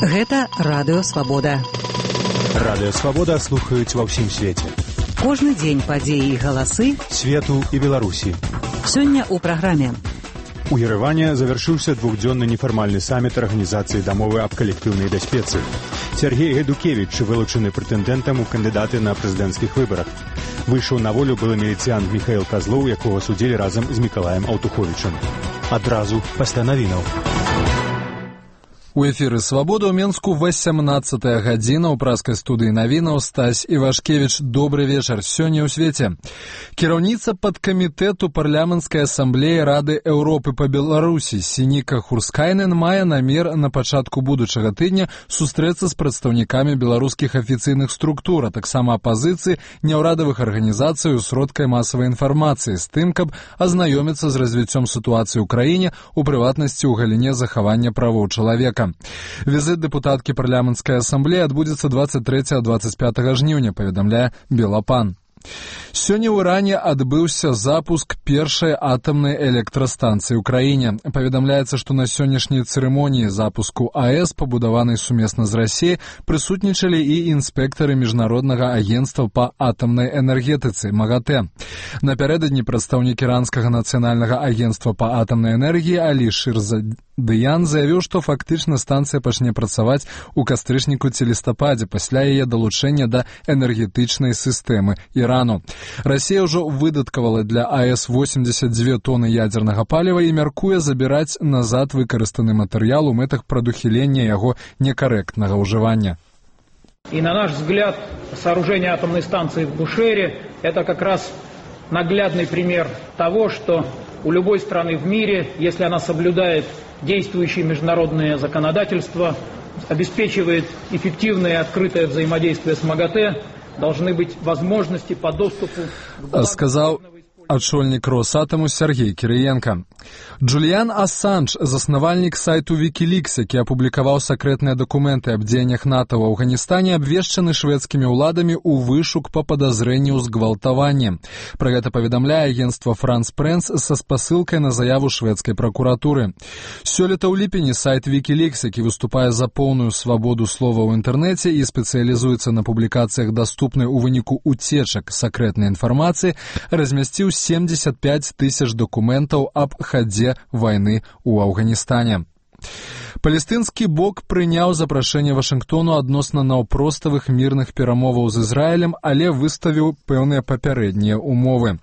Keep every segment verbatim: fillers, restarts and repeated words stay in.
Гэта Радыё Свабода. Радыё Свабода слухаюць ва ўсім свеце. Кожны дзень падзеі і галасы свету і Беларусі. Сёння ў праграме. У Ерэване завяршыўся двухдзённы нефармальны саміт арганізацыі дамовы аб калектыўнай бяспецы. Сергей Гайдукевіч вылучаны прэтэндэнтам у кандыдаты на прэзідэнцкіх выбарах. Выйшаў на волю былы міліцыянт Міхаіл Казлоў, якога судзілі разам з Мікалаем Аўтуховічам. Адразу пасля навінаў. У эфіры «Свабода» ў Менску васямнаццатая гадзіна. У праскай студыі навінаў Стась Івашкевіч. Добры вечар. Сёння ў свеце. Кіраўніца падкамітэту парламенцкай асамблеі Рады Еўропы па Беларусі Сініка Хурскайнен мае намер на пачатку будучага тыдня сустрэцца з прадстаўнікамі беларускіх афіцыйных структур, а таксама апазіцыі, няўрадавых арганізацый у сродках масавай інфармацыі з тым, каб азнаёміцца з развіццём сітуацыі ў краіне, у прыватнасці ў галіне захавання правоў чалавека. Візит дэпутаткі парламенцкай асамблеі адбудзецца дваццаць трэцяга - дваццаць пятага жніўня, паведамляе Белапан. Сёння ў Іране адбыўся запуск першай атамнай электрастанцыі ў краіне. Паведамляецца, што на сённяшняй цырымоніі запуску АЭС, пабудаванай сумесна з Расіяй, прысутнічалі і інспектары міжнароднага агенцтва па атамнай энергетыцы МАГАТЭ. Напярэдадні прадстаўнік іранскага нацыянальнага агенцтва па атамнай энергіі Алі Шырзадыян заявіў, што фактычна станцыя пачне працаваць у кастрычніку ці лістападзе пасля яе далучэння да энергетычнай сістэмы Ірану. Расія ўжо выдаткавала для АЭС восемьдесят две тоны ядзернага паліва і мяркуе забіраць назад выкарыстаны матэрыял у мэтах прадухілення яго некарэктнага ўжывання. И на наш взгляд, сооружение атомной станции в Бушере – это как раз наглядный пример того, что у любой страны в мире, если она соблюдает действующие международные законодательства, обеспечивает эффективное и открытое взаимодействие с МАГАТЭ, должны быть возможности по доступу к... Сказал ачольнік Росатому Сергей Кірыенка. Джуліян Ассанж, заснавальнік сайту Wikileaks, які апублікаваў сакрэтныя дакументы аб дзеяннях НАТО ў Афганістане, абвешчаны шведскімі ўладамі ў вышук па падазрэнні ў згвалтаванні. Пра гэта паведамляе агенцтва France Press са спасылкай на заяву шведскай пракуратуры. Сёлета ў ліпені сайт Wikileaks, які выступае за поўную свабоду слова ў інтэрнэце і спецыялізуецца на публікацыях даступнай у выніку уцечак сакрэтнай інфармацыі, размясціў семьдесят пять тысяч документаў аб хадзе вайны ў Афганістане. Палестынскі бок прыняў запрашэнне Вашынгтону адносна наўпроставых мірных перамоваў з Ізраілем, але выставіў пэўныя папярэднія умовы.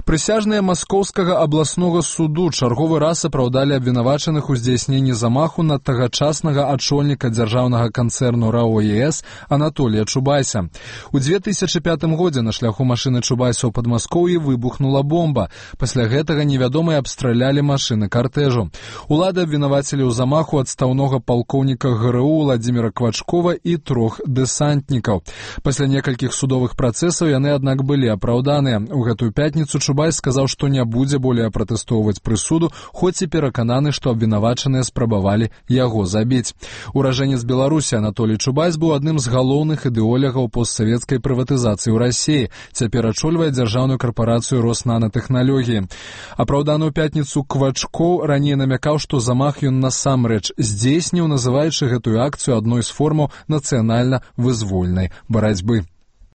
Прысяжныя Маскоўскага абласнога суду чарговы раз апраўдалі абвінавачаных у здзяйсненні замаху на тагачаснага ачольніка дзяржаўнага канцэрну РАО ЕС Анатолія Чубайса. У две тысячы пятым годзе на шляху машыны Чубайса ў Падмаскоўі выбухнула бомба. Пасля гэтага невядомыя абстралялі машыны картэжу. Улады абвінавацілі ў замаху адстаўнога палкоўніка ГРУ Владзіміра Квачкова і трох дэсантнікаў. Пасля некалькіх судовых працэсаў яны, аднак, былі апраўданыя. У гэтую пятніцу Чубайс сказаў, што не будзе болей пратэстоўваць прысуду, хоць і перакананы, што абвінавачаныя спрабавалі яго забіць. Уражэнец Беларусі Анатолій Чубайс быў адным з галоўных ідэолягаў постсавецкай прыватызацыі ў Расіі. Цяпер ачольвае дзяржаўную карпарацыю Роснанотэхналогіі. Апраўданы ў пятніцу Квачкоў раней намякаў, што замах ён насамрэч здзейсніў, называючы гэтую акцыю адной з формаў нацыянальна-вызвольнай барацьбы.